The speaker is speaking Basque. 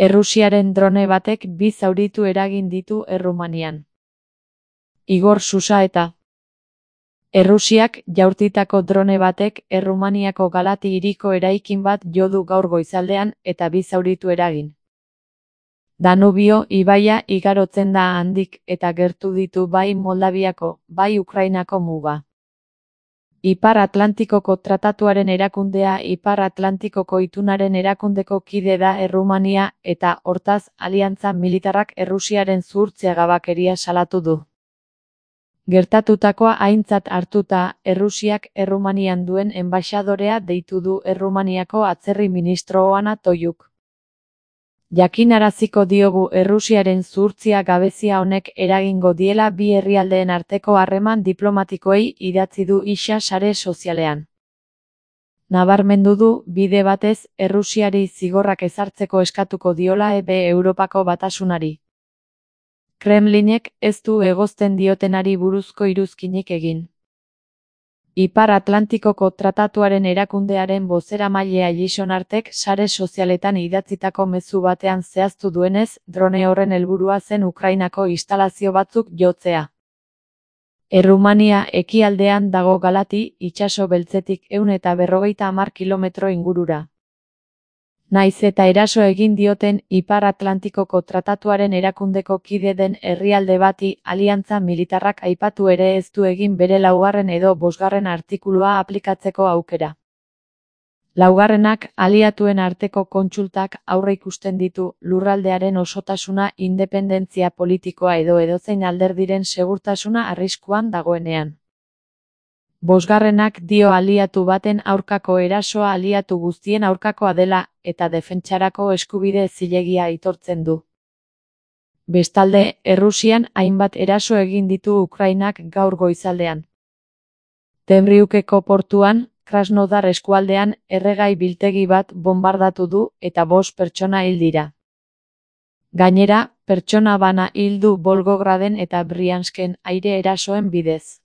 Errusiaren drone batek 2 zauritu eragin ditu Errumanian. Igor Susaeta. Errusiak jaurtitako drone batek Errumaniako Galati hiriko eraikin bat jo du gaur goizaldean eta 2 zauritu eragin. Danubio ibaia igarotzen da handik eta gertu ditu bai Moldaviako, bai Ukrainako muga. Ipar Atlantikoko Tratatuaren erakundea Ipar Atlantikoko itunaren erakundeko kide da Errumania eta, hortaz, aliantza militarrak Errusiaren zuhurtziagabekeria salatu du. Gertatutakoa aintzat hartuta, Errusiak Errumanian duen enbaxadorea deitu du Errumaniako atzerri ministro Oana Toiuk. Jakinaraziko diogu Errusiaren zuhurtzia gabezia honek eragingo diela bi herrialdeen arteko harreman diplomatikoei idatzi du isa sare sozialean. Nabarmendu du, bide batez, Errusiari zigorrak ezartzeko eskatuko diola Europako Batasunari. Kremlinek ez du egozten diotenari buruzko iruzkinik egin. Ipar Atlantikoko Tratatuaren erakundearen bozeramailea Jason Artek sare sozialetan idatzitako mezu batean zehaztu duenez, drone horren helburua zen Ukrainako instalazio batzuk jotzea. Errumania ekialdean dago Galati, itsaso beltzetik 150 kilometro ingurura. Naiz eta eraso egin dioten Ipar Atlantikoko Tratatuaren erakundeko kide den herrialde bati aliantza militarrak aipatu ere ez du egin bere 4. edo 5. artikulua aplikatzeko aukera. 4. aliatuen arteko kontsultak aurreikusten ditu lurraldearen osotasuna, independentzia politikoa edo edozein alderdiren segurtasuna arriskuan dagoenean. 5. dio aliatu baten aurkako erasoa aliatu guztien aurkakoa dela, eta defentsarako eskubide zilegia aitortzen du. Bestalde, Errusian hainbat eraso egin ditu Ukrainak gaur goizaldean. Temriukeko portuan, Krasnodar eskualdean, erregai biltegi bat bonbardatu du eta 5 pertsona hil dira. Gainera, pertsona bana hil du Volgograden eta Briansken aire erasoen bidez.